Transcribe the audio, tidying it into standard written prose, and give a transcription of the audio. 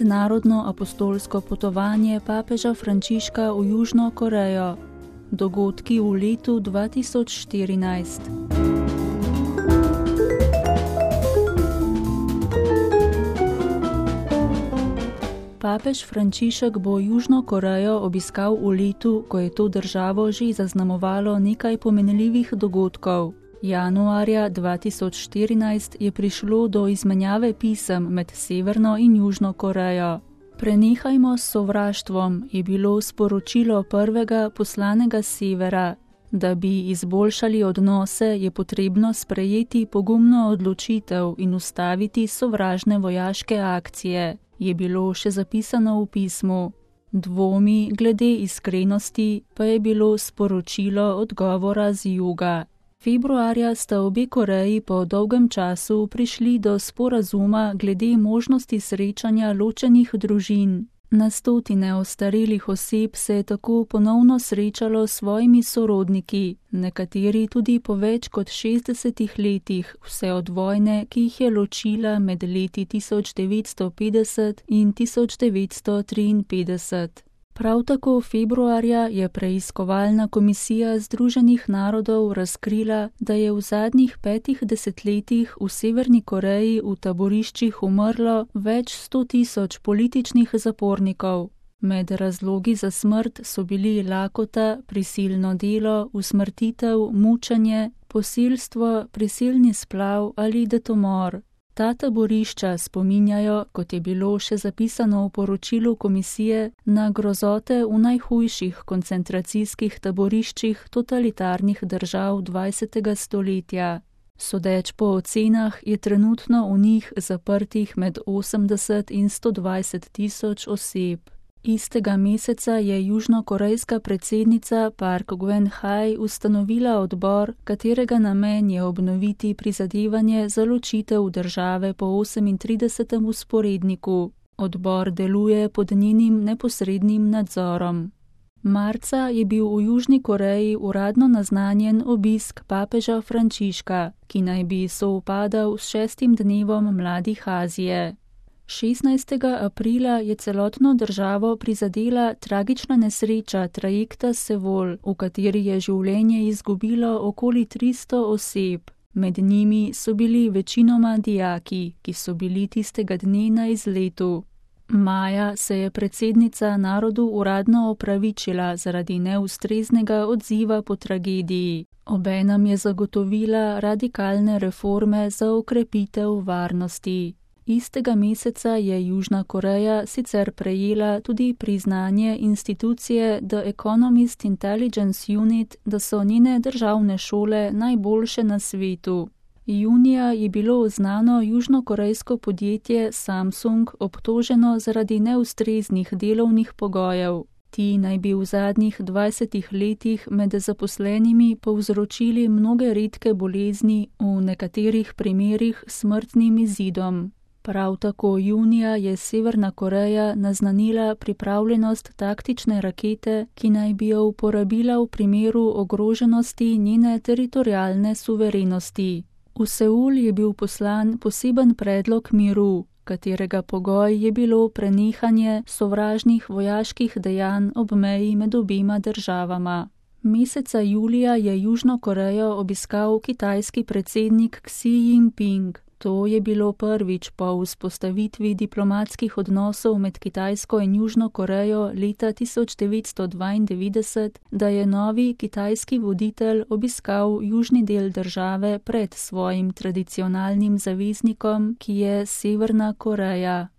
mednarodno apostolsko potovanje papeža Frančiška v Južno Korejo. Dogodki v letu 2014. Papež Frančišek bo Južno Korejo obiskal v letu, ko je to državo že zaznamovalo nekaj pomenljivih dogodkov. Januarja 2014 je prišlo do izmenjave pisem med Severno in Južno Korejo. Prenehajmo s sovraštvom, je bilo sporočilo prvega poslanega Severa. Da bi izboljšali odnose, je potrebno sprejeti pogumno odločitev in ustaviti sovražne vojaške akcije, je bilo še zapisano v pismu. Dvomi glede iskrenosti pa je bilo sporočilo odgovora z juga. Februarja sta obe Koreji po dolgem času prišli do sporazuma glede možnosti srečanja ločenih družin. Na stotine ostarelih oseb se je tako ponovno srečalo s svojimi sorodniki, nekateri tudi po več kot 60 letih, vse od vojne, ki jih je ločila med leti 1950 in 1953. Prav tako februarja je preiskovalna komisija Združenih narodov razkrila, da je v zadnjih 5 desetletjih v Severni Koreji v taboriščih umrlo več 100.000 političnih zapornikov. Med razlogi za smrt so bili lakota, prisilno delo, usmrtitev, mučenje, posilstvo, prisilni splav ali detomor. Ta taborišča spominjajo, kot je bilo še zapisano v poročilu komisije, na grozote v najhujših koncentracijskih taboriščih totalitarnih držav 20. stoletja. Sodeč po ocenah je trenutno v njih zaprtih med 80 in 120.000 oseb. Istega meseca je južnokorejska predsednica Park Geun-hye ustanovila odbor, katerega namen je obnoviti prizadevanje za ločitev države po 38. vzporedniku. Odbor deluje pod njenim neposrednim nadzorom. Marca je bil v Južni Koreji uradno naznanjen obisk papeža Frančiška, ki naj bi sovpadal s 6. dnevom mladih Azije. 16. aprila je celotno državo prizadela tragična nesreča trajekta Seoul, v kateri je življenje izgubilo okoli 300 oseb. Med njimi so bili večinoma dijaki, ki so bili tistega dne na izletu. Maja se je predsednica narodu uradno opravičila zaradi neustreznega odziva po tragediji. Obenem je zagotovila radikalne reforme za okrepitev varnosti. Istega meseca je Južna Koreja sicer prejela tudi priznanje institucije The Economist Intelligence Unit, da so njene državne šole najboljše na svetu. Junija je bilo znano južnokorejsko podjetje Samsung obtoženo zaradi neustreznih delovnih pogojev. Ti naj bi v zadnjih 20 letih med zaposlenimi povzročili mnoge redke bolezni, v nekaterih primerih smrtnim izidom. Prav tako junija je Severna Koreja naznanila pripravljenost taktične rakete, ki naj bi jo uporabila v primeru ogroženosti njene teritorialne suverenosti. V Seul je bil poslan poseben predlog miru, katerega pogoj je bilo prenehanje sovražnih vojaških dejanj ob meji med obema državama. Meseca julija je Južno Korejo obiskal kitajski predsednik Xi Jinping. To je bilo prvič po vzpostavitvi diplomatskih odnosov med Kitajsko in Južno Korejo leta 1992, da je novi kitajski voditelj obiskal južni del države pred svojim tradicionalnim zaveznikom, ki je Severna Koreja.